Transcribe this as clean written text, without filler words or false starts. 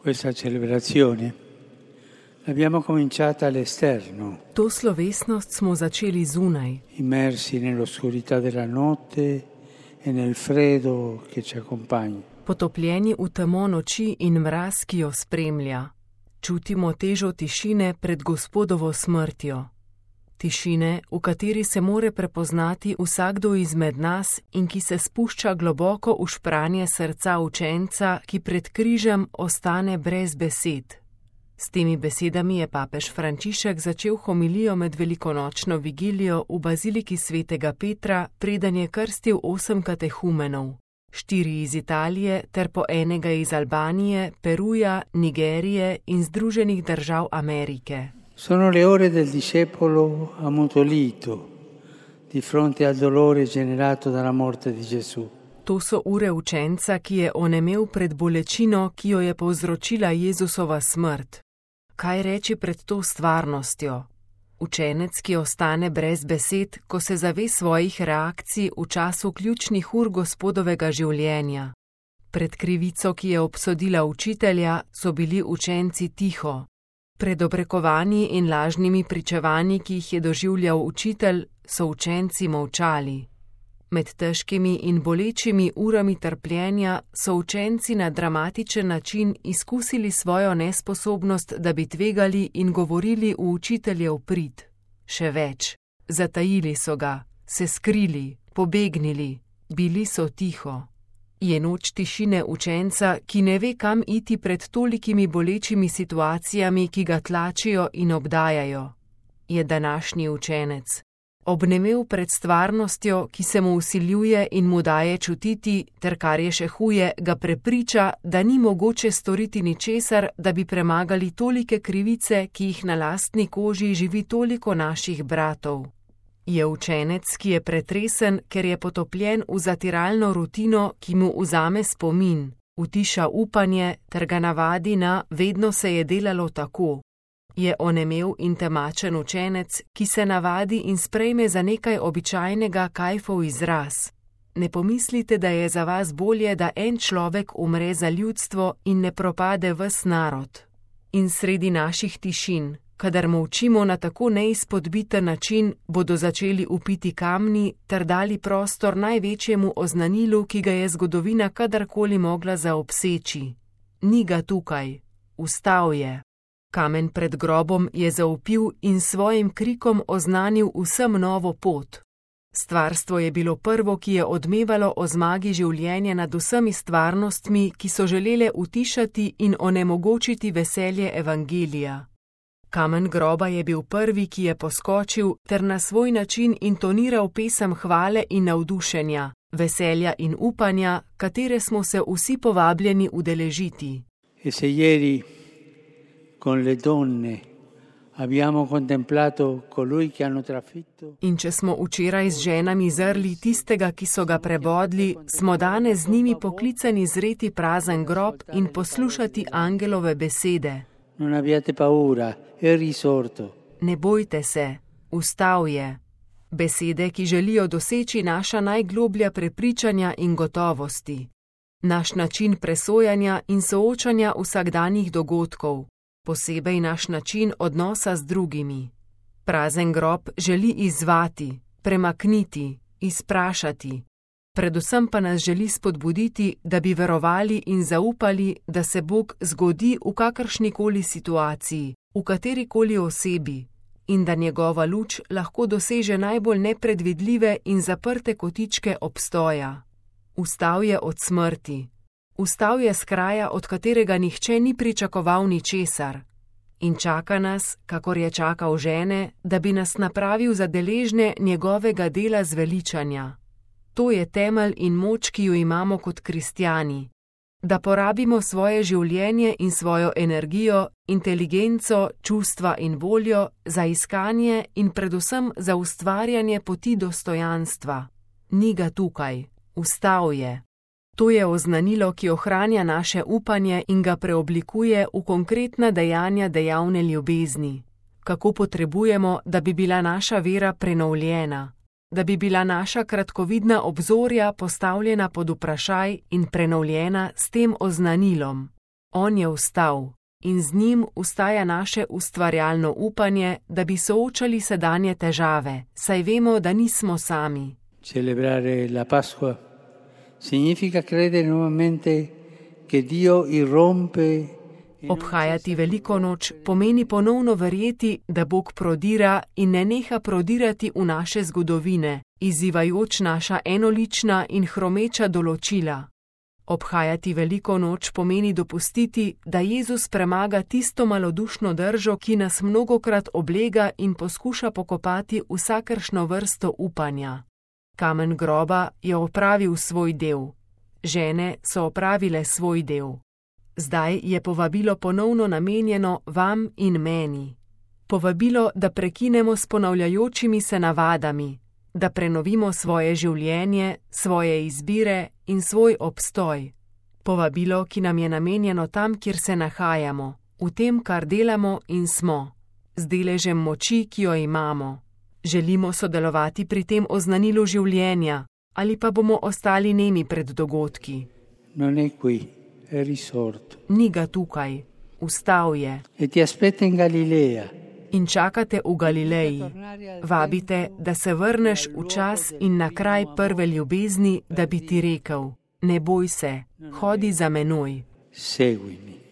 Questa celebrazione l'abbiamo cominciata all'esterno, To slovesnost smo začeli zunaj, immersi nell'oscurità della notte e nel freddo che ci accompagna. potopljeni v temo noči in mraz, ki jo spremlja. Čutimo težo tišine pred Gospodovo smrtjo. Tišine, v kateri se more prepoznati vsakdo izmed nas in ki se spušča globoko v špranje srca učenca, ki pred križem ostane brez besed. S temi besedami je papež Frančišek začel homilijo med velikonočno vigilijo v baziliki svetega Petra, preden je krstil 8 katehumenov. 4 iz Italije ter po enega iz Albanije, Peruja, Nigerije in Združenih držav Amerike. Sono le ore del discepolo ammutolito di fronte al dolore generato dalla morte di Gesù. To so ure učenca, ki je onemel pred bolečino, ki jo je povzročila Jezusova smrt. Kaj reči pred to stvarnostjo? Učenec, ki ostane brez besed, ko se zave svojih reakcij v času ključnih ur Gospodovega življenja. Pred krivico, ki je obsodila učitelja, so bili učenci tiho. Pred obrekovanji in lažnimi pričevanji, ki jih je doživljal učitelj, so učenci molčali. Med težkimi in bolečimi urami trpljenja so učenci na dramatičen način izkusili svojo nesposobnost, da bi tvegali in govorili v učiteljev prid. Še več, zatajili so ga, se skrili, pobegnili, bili so tiho. Je noč tišine učenca, ki ne ve, kam iti pred tolikimi bolečimi situacijami, ki ga tlačijo in obdajajo. Je današnji učenec. Obnemel pred stvarnostjo, ki se mu vsiljuje in mu daje čutiti, ter kar je še huje, ga prepriča, da ni mogoče storiti ničesar, da bi premagali tolike krivice, ki jih na lastni koži živi toliko naših bratov. Je učenec, ki je pretresen, ker je potopljen v zatiralno rutino, ki mu vzame spomin, utiša upanje ter ga navadi na vedno se je delalo tako. Je onemel in temačen učenec, ki se navadi in sprejme za nekaj običajnega kajfov izraz. Ne pomislite, da je za vas bolje, da en človek umre za ljudstvo in ne propade ves narod. In sredi naših tišin, kadar molčimo na tako neizpodbiten način, bodo začeli upiti kamni ter dali prostor največjemu oznanilu, ki ga je zgodovina kadarkoli mogla zaobseči. Ni ga tukaj, vstal je. Kamen pred grobom je zaupil in svojim krikom oznanil vsem novo pot. Stvarstvo je bilo prvo, ki je odmevalo o zmagi življenja nad vsemi stvarnostmi, ki so želele utišati in onemogočiti veselje evangelija. Kamen groba je bil prvi, ki je poskočil ter na svoj način intoniral pesem hvale in navdušenja, veselja in upanja, katere smo se vsi povabljeni udeležiti. Con le donne abbiamo contemplato colui che hanno trafitto. In če smo včeraj z ženami zrli tistega, ki so ga prebodli, smo danes z njimi poklicani zreti prazen grob in poslušati angelove besede. Non abbiate paura, è risorto. Ne bojte se, vstal je. Besede, ki želijo doseči naša najgloblja prepričanja in gotovosti. Naš način presojanja in soočanja vsakdanjih dogodkov. Posebej naš način odnosa z drugimi. Prazen grob želi izzvati, premakniti, izprašati. Predvsem pa nas želi spodbuditi, da bi verovali in zaupali, da se Bog zgodi v kakršnikoli situaciji, v katerikoli osebi, in da njegova luč lahko doseže najbolj nepredvidljive in zaprte kotičke obstoja. Vstal je od smrti. Vstal je s kraja, od katerega nihče ni pričakoval ničesar. In čaka nas, kakor je čakal žene, da bi nas napravil za deležne njegovega dela zveličanja. To je temelj in moč, ki jo imamo kot kristjani. Da porabimo svoje življenje in svojo energijo, inteligenco, čustva in voljo za iskanje in predvsem za ustvarjanje poti dostojanstva. Ni ga tukaj, vstal je. To je oznanilo, ki ohranja naše upanje in ga preoblikuje v konkretna dejanja dejavne ljubezni. Kako potrebujemo, da bi bila naša vera prenovljena, da bi bila naša kratkovidna obzorja postavljena pod vprašaj in prenovljena s tem oznanilom. On je vstal in z njim vstaja naše ustvarjalno upanje, da bi soočali sedanje težave, saj vemo, da nismo sami. Celebrare la Pasqua significa credere nuovamente che Dio irrompe. Obhajati veliko noč pomeni ponovno verjeti, da Bog prodira in ne neha prodirati v naše zgodovine, izzivajoč naša enolična in hromeča določila. Obhajati veliko noč pomeni dopustiti, da Jezus premaga tisto malodušno držo, ki nas mnogokrat oblega in poskuša pokopati vsakršno vrsto upanja. Kamen groba je opravil svoj del. Žene so opravile svoj del. Zdaj je povabilo ponovno namenjeno vam in meni. Povabilo, da prekinemo s ponavljajočimi se navadami, da prenovimo svoje življenje, svoje izbire in svoj obstoj. Povabilo, ki nam je namenjeno tam, kjer se nahajamo, v tem, kar delamo in smo, z deležem moči, ki jo imamo. Želimo sodelovati pri tem oznanilu življenja, ali pa bomo ostali nemi pred dogodki. Non è qui, è risorto. Ni ga tukaj, vstal je. E ti aspetta in Galilea. In čakate v Galileji. Vabite, da se vrneš v čas in na kraj prve ljubezni, da bi ti rekel: ne boj se, hodi za menoj. Seguimi.